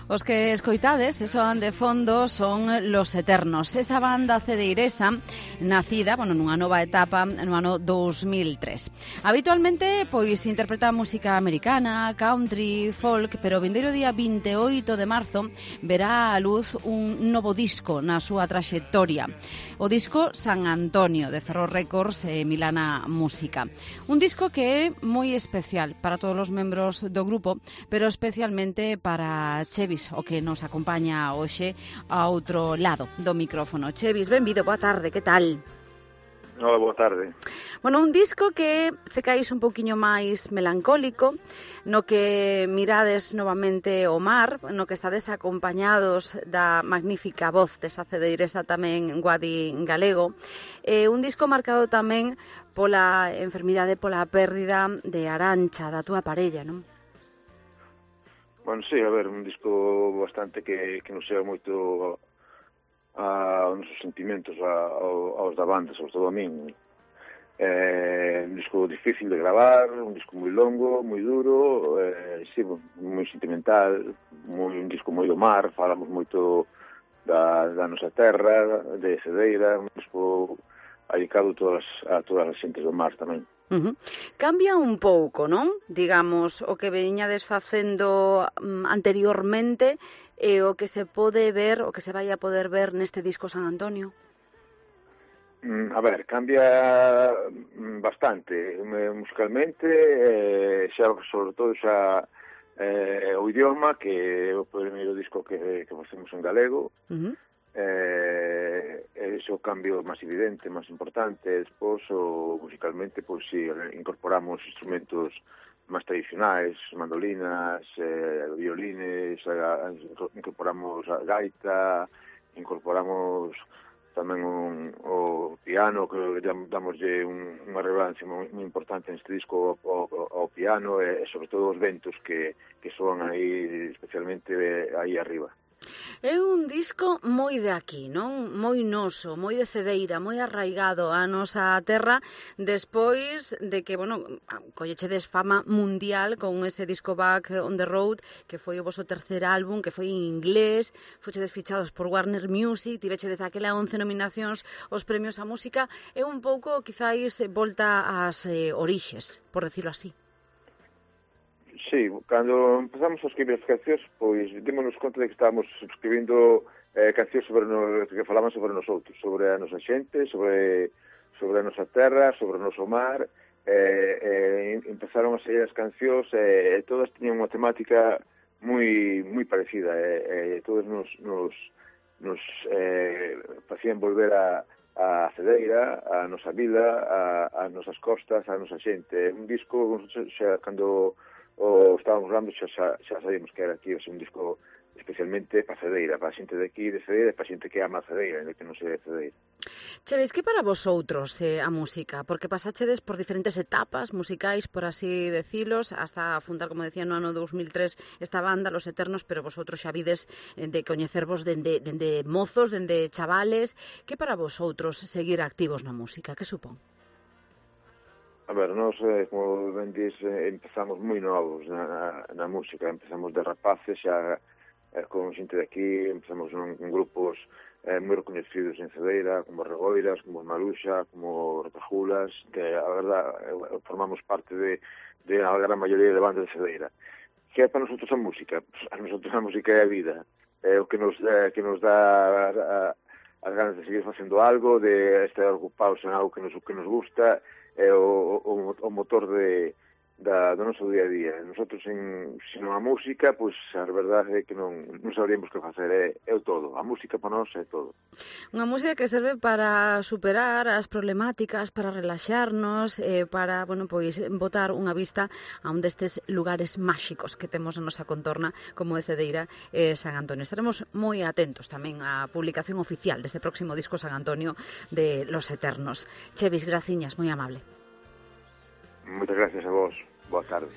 Os que escoitades e soan de fondo son Los Eternos, esa banda cedeiresa nacida, nunha nova etapa no ano 2003. Habitualmente, pois, interpreta música americana, country, folk, pero o vindeiro día 28 de marzo verá a luz un novo disco na súa traxectoria. O disco San Antonio, de Ferro Records e Milana Música. Un disco que é moi especial para todos os membros do grupo, pero especialmente para Chevis, o que nos acompaña hoxe a outro lado do micrófono. Chevis, benvido, boa tarde, que tal? Hola, boa tarde. Un disco que cecais un pouquiño máis melancólico, no que mirades novamente o mar, no que estades acompañados da magnífica voz desa cedeiresa tamén Guadi Galego. Un disco marcado tamén pola enfermidade, pola pérdida de Arancha, da túa parella, non? Bueno, sí, a ver, un disco bastante que nos chega moito aos nosos sentimentos, aos da banda, sobre todo a min. Un disco difícil de gravar, un disco moi longo, moi duro, sí, moi sentimental, un disco moi do mar, falamos moito da nosa terra, de Cedeira, un disco dedicado a todas as xentes do mar tamén. Cambia un pouco, non? Digamos, o que veñades facendo anteriormente e o que se pode ver, o que se vai a poder ver neste disco San Antonio. A ver, cambia bastante musicalmente, xa, sobre todo xa o idioma, que é o primeiro disco que facemos en galego. Ese o cambio máis evidente, máis importante. Despois, musicalmente, pois si incorporamos instrumentos máis tradicionais, mandolinas, violines, incorporamos a gaita, incorporamos tamén o piano, que damoslle unha relevancia moi importante neste disco ao piano, e sobre todo os ventos que soan aí, especialmente aí arriba. É un disco moi de aquí, non? Moi noso, moi de Cedeira, moi arraigado á nosa terra, despois de que, collechedes fama mundial con ese disco Back on the Road, que foi o voso terceiro álbum, que foi en inglés, fochedes fichados por Warner Music, tivechedes daquela 11 nominacións aos premios á música, é un pouco, quizáis, volta ás orixes, por decirlo así. Sí, cando empezamos a escribir as cancións, pois démonos conta de que estábamos escribindo cancións que falaban sobre nosotros, sobre a nosa xente, sobre a nosa terra, sobre o noso mar. Empezaron a sair as cancións e todas tiñan unha temática moi parecida. Todas nos facían volver a Cedeira, a nosa vida, a nosas costas, a nosa xente. Un disco, xa cando estábamos grabando, xa sabíamos que era aquí un disco especialmente para Cedeira, para a xente de aquí de Cedeira e para a xente que ama a Cedeira, que non se de Cedeira. Cheves, que para vosotros a música? Porque pasachedes por diferentes etapas musicais, por así decilos, hasta fundar, como decía, no ano 2003 esta banda, Los Eternos, pero vosotros xa vides de coñecervos dende mozos, dende chavales. Que para vosotros seguir activos na música? Que supón? A ver, nós, como ben dis, empezamos moi novos na música. Empezamos de rapaces, xa con xente de aquí, empezamos en grupos moi reconhecidos en Cedeira, como Regoiras, como Maruxa, como Rotajulas, que, a verdad, formamos parte de a gran maioría de bandas de Cedeira. Que é para nosotros a música? A nosotros a música é a vida. É o que nos dá as ganas de seguir facendo algo, de estar ocupados en algo que nos gusta, é o motor do noso día a día. Nosotros, se non a música, pois a verdade é que non sabríamos que facer. É o todo. A música para nós é todo. Unha música que serve para superar as problemáticas, para relaxarnos, para, botar unha vista a un destes lugares máxicos que temos na nosa contorna, como é Cedeira e San Antonio. Estaremos moi atentos tamén á publicación oficial deste próximo disco San Antonio de Los Eternos. Chevis, graciñas, moi amable. Moitas gracias a vos. Boa tarde.